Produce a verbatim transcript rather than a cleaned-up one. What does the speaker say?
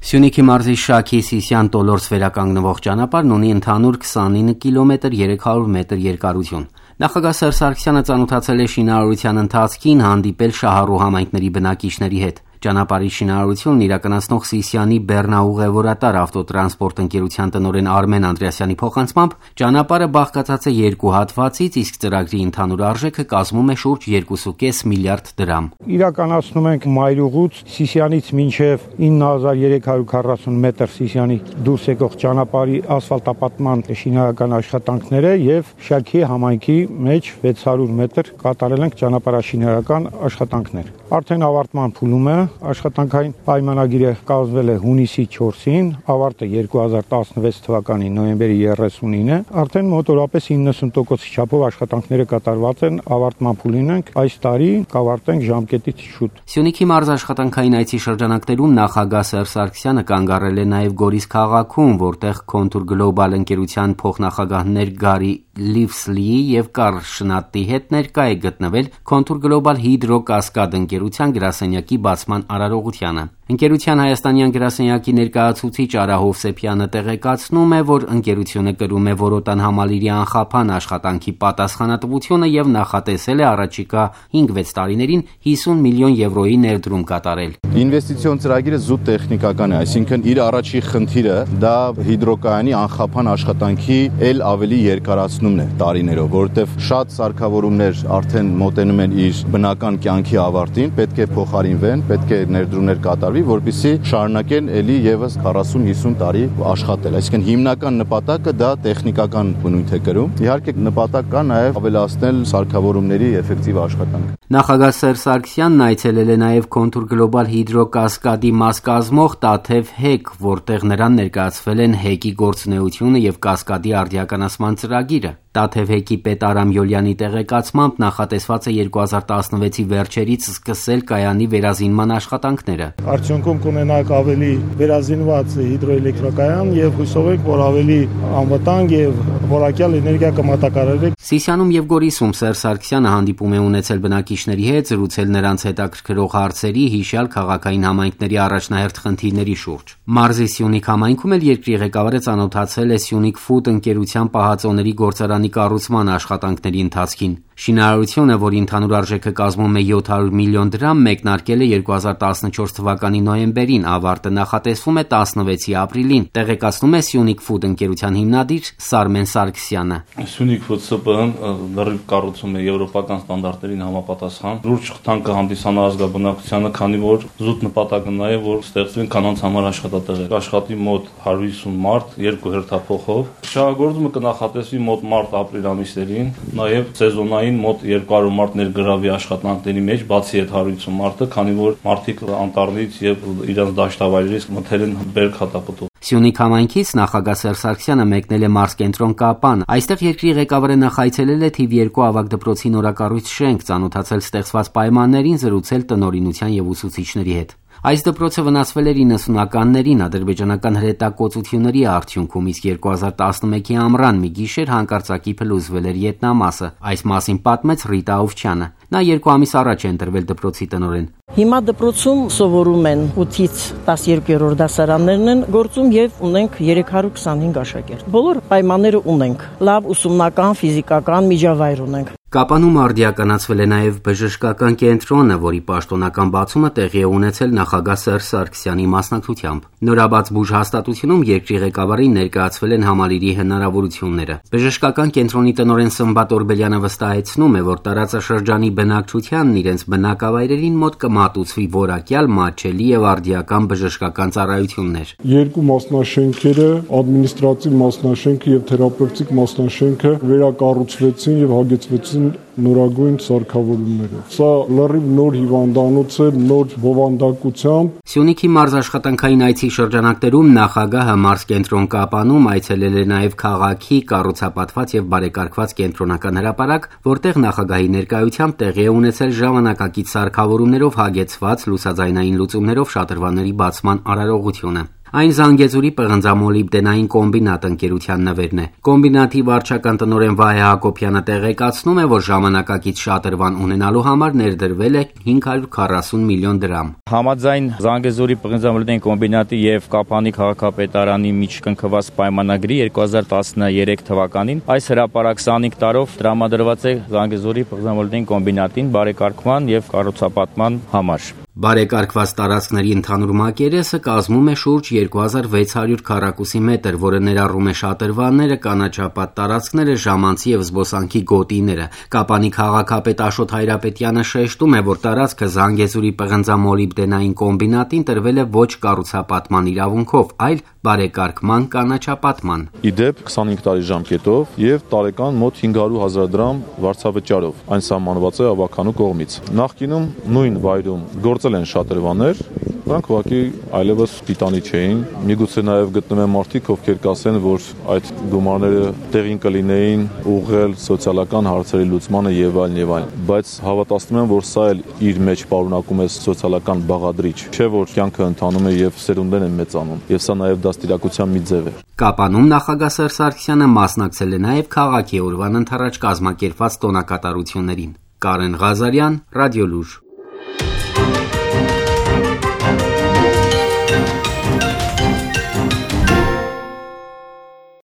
Սյունիքի մարզի Շաքի Սիսյան Տոլորս վերականգնվող ճանապարհն ունի ընդհանուր քսանինը կիլոմետր երեք հարյուր մետր երկարություն։ Նախագահ Սերժ Սարգսյանը ծանոթացել է շինարարության ընթացքին, հանդիպել շահառու համայնքների բնակիչների հետ։ Ճանապարհի շինարարությունն իրականացնող Սիսյանի Բեռնաուղևորատար ավտոտրանսպորտ ընկերության տնօրեն Արմեն Անդրեասյանի փոխանցմամբ ճանապարհը բաղկացած է երկու հատվածից, իսկ ծրագրի ընդհանուր արժեքը կազմում է շուրջ երկու կόμμα պենս միլիարդ դրամ։ Իրականացնում ենք Մայրուղուց Սիսյանից մինչև ինը հազար երեք հարյուր քառասուն մետր Սիսյանի դուրս եկող ճանապարհի ասֆալտապատման շինարարական աշխատանքները եւ Շաքի համայնքի մեջ վեց հարյուր մետր կատարել ենք ճանապարհաշինարարական աշխատանքներ։ Արդեն ավարտման փուլում է, աշխատանքային պայմանագիրը կազմվել է հունիսի չորսին, ավարտը երկու հազար տասնվեց թվականի նոյեմբերի երեսունինը, արդեն մոտորապես իննսուն տոկոս չափով աշխատանքները կատարված են, ավարտման փուլին ենք, այս տարի կավարտենք ժամկետից շուտ։ Սյունիքի մարզ աշխատանքային այցի շրջանակներում նախագահ Սերժ Սարգսյանը կանգ առել է նաև Գորիս քաղաքում, որտեղ Contour Global ընկերության փոխնախագահներ Գարի Լիվսլիի եւ Կարլ Շնատտի հետ ներկա է գտնվել Contour Global Hydro-Cascade ընկերության գրասենյակի բացման արարողությանը։ Ընկերության հայաստանյան գրասենյակի ներկայացուցիչ Արա Հովսեփյանը տեղեկացնում է, որ ընկերությունը կրում է Որոտան համալիրի անխափան աշխատանքի պատասխանատվությունը եւ նախատեսել է առաջիկա հինգ-վեց տարիներին հիսուն միլիոն եվրոյի ներդրում կատարել։ Ինվեստիցիոն ծրագիրը զուտ տեխնիկական է, այսինքն իր առաջի խնդիրը դա հիդրոկայանի անխափան աշխատանքի ել ավելի երկարացնումն է տարիներով, որովհետեւ շատ սարքավորումներ արդեն մոտենում են իր բնական կյանքի ավարտին, պետք է փոխարինվեն, պետք է ներդրումներ կատարվի, որպեսզի շարունակեն ելի եւս քառասուն-հիսուն տարի աշխատել։ Այսինքն հիմնական նպատակը դա տեխնիկական բնույթ է կրում։ Իհարկե նպատակ կա նաեւ ավելացնել սարքավորումների էֆեկտիվ աշխատանքը։ Նախագահ Սերժ Սարգսյանն այցելել է նաեւ Contour Global Hydro-Cascade-ի մաս կազմող Տաթև հեկ, որտեղ նրան ներկայացվել են հեկի գործունեությունը եւ Կասկադի արդիականացման ծրագիրը։ Տաթև հեկի պետ Արամ Յոլյանի տեղեկացմամբ նախատեսված է երկու հազար տասնվեցի վերջերից սկսել կայանի վերազինման աշխատանքները։ Արդյունքում կունենանք ավելի վերազինված հիդրոէլեկտրակայան եւ հույսով ենք, որ ավելի անվտանգ եւ որակյալ էներգիա կմատակարարի։ Սիսիանում եւ Գորիսում Սերժ Սարգսյանը հանդիպում է ունեցել բնակիչների հետ, զրուցել նրանց հետաքրքրող հարցերի, հիշյալ քաղաքային համայնքների առաջնահերթ խնդիրների շուրջ։ Մարզի Սյունիք համայնքում էլ երկրի ղեկավարը ծանոթացել է Սյունիք Ֆուդ ընկերության պահածոների գործարանի կառուցման աշխատանքների ընթացքին։ Շինարարությունը, որի ընդհանուր արժեքը կազմում է յոթ հարյուր միլիոն դրամ, մեկնարկել է երկու հազար տասնչորս թվականի նոյեմբերին, ավարտը նախատեսվում է տասնվեցի ապրիլին, տեղեկացնում է Սյունիք Ֆուդ ընկերության հիմնադիր Սարմեն Սարգսյանը։ Սյունիք Ֆուդ ՍՊԸ-ն լրիվ կառուցում է եվրոպական ստանդարտներին համապատասխան։ Լուրջ խթան կհանդիսանա ազգաբնակությանը, քանի որ զուտ նպատակը նա է, որ ստեղծվեն կանանց համար աշխատատեղեր։ Աշխատի մոտ հարյուր հիսուն մարդ, երկու հերթափոխով։ Շահագործումը կնախատեսվի մոտ մարտ-ապրիլ ամիսներին, նաև սեզոնային մոտ երկու հարյուր մարդ ներգրավի աշխատանքների մեջ, բացի այդ հարյուր հիսուն մարդը, քանի որ մարդիկ անտառից եւ իրենց դաշտավայրերից մթել են բերք հատապտուղ։ Սյունիք համայնքից նախագահ Սերժ Սարգսյանը մեկնել է մարզկենտրոն Կապան։ Այստեղ երկրի ղեկավարը նախայցելել է թիվ երկու ավագ դպրոցի նորակառույց շենք, ծանոթացել ստեղծված պայմաններին, զրուցել տնօրինության եւ ուսուցիչների հետ։ Այս դպրոցը վնասվել էր իննսունականներին ադրբեջանական հրետակոծությունների արդյունքում, իսկ երկու հազար տասնմեկի ամռան մի գիշեր հանկարծակի փլուզվել էր ետնամասը։ Այս մասին պատմեց Ռիտա Ավչյանը։ Նա երկու ամիս առաջ է ընտրվել դպրոցի տնօրեն։ Հիմա դպրոցում սովորում են ութից տասներկերորդ դասարաններն են գործում եւ ունենք երեք հարյուր քսանհինգ աշակերտ։ Բոլոր պայմանները ունենք։ Լավ ուսումնական, ֆիզիկական միջավայր ունենք։ Կապանում արդիականացվել է նաև բժշկական կենտրոնը, որի պաշտոնական բացումը տեղի է ունեցել նախագահ Սերժ Սարգսյանի մասնակցությամբ։ Նորաբաց բուժհաստատությունում երկրի ղեկավարին ներկայացվել են համալիրի հնարավորությունները։ Բժշկական կենտրոնի տնօրեն Սմբատ Օրբելյանը վստահեցնում է, որ տարածաշրջանի բնակչությանն իրենց բնակավայրերին մոտ կմատուցվի որակյալ, մատչելի եւ արդիական բժշկական ծառայություններ։ Երկու մասնաշենքերը, ադմինիստրատիվ մասնաշենքը եւ թերապևտիկ մասնաշենքը վերակառուցվեցին եւ հագեցվեցին նորագույն սարքավորումներով։ Սա լրիվ նոր հիվանդանոց է, նոր բովանդակությամբ։ Սյունիքի մարզ աշխատանքային այցի շրջանակներում նախագահը մարզկենտրոն Կապանում այցելել է նաև քաղաքի կառուցապատված եւ բարեկարգված կենտրոնական հրապարակ, որտեղ նախագահի ներկայությամբ տեղի է ունեցել ժամանակակից սարքավորումներով հագեցված լուսաձայնային լուծումներով շատրվանների բացման արարողությունը։ Այն Զանգեզուրի պղնձամոլիբդենային կոմբինատ ընկերության նվերն է։ Կոմբինատի վարչական տնօրեն Վահե Հակոբյանը տեղեկացնում է, որ ժամանակակից շատրվան ունենալու համար ներդրվել է հինգ հարյուր քառասուն միլիոն դրամ։ Համաձայն Զանգեզուրի պղնձամոլիբդենային կոմբինատի եւ Կապանի քաղաքապետարանի միջև կնքված պայմանագրի երկու հազար տասներեք թվականին այս հրապարակ քսանհինգ տարով տրամադրված է Զանգեզուրի պղնձամոլիբդենային կոմբինատին բարեկարգման եւ կառուցապատման համար։ Բարեկարգված տարածքների ընդհանուր մակերեսը կազմում է շուրջ երկու հազար վեց հարյուր քառակուսի մետր, որը ներառում է շատրվանները, կանաչապատ տարածքները, ժամանցի եւ զբոսանքի գոտիները։ Կապանի քաղաքապետ Աշոտ Հայրապետյանը շեշտում է, որ տարածքը Զանգեզուրի պղնձամոլիբդենային կոմբինատին տրվել է ոչ կառուցապատման իրավունքով, այլ բարեկարգման կանաչապատման։ Իդեպ քսանհինգ տարի ժամկետով եւ տարեկան մոտ հինգ հարյուր հազար դրամ վարձավճարով։ Այն սահմանված է ավականու կողմից։ Նախկինում նույն վայրում գործել են շատրվաններ, նրանք ուղղակի այլևս տիտանի չէին։ Միգուցե նաև գտնվեն մարդիկ, ովքեր կասեն, որ այդ գումարները տեղին կլինեին ուղղել սոցիալական հարցերի լուծմանը եւ այլն եւ այլն, բայց հավատացնում եմ, որ սա էլ իր մեջ պարունակում է սոցիալական բաղադրիչ, չէ՞ որ կյանքը ընթանում է եւ սերունդներ են մեծանում, եւ սա նաև դաստիարակության մի ձև է։ Կապանում նախագահ Սերժ Սարգսյանը մասնակցել է նաև քաղաքի օրվան ընթരാճ կազմակերպված տոնակատարություններին։ Կարեն Ղազարյան, Ռադիոլուր։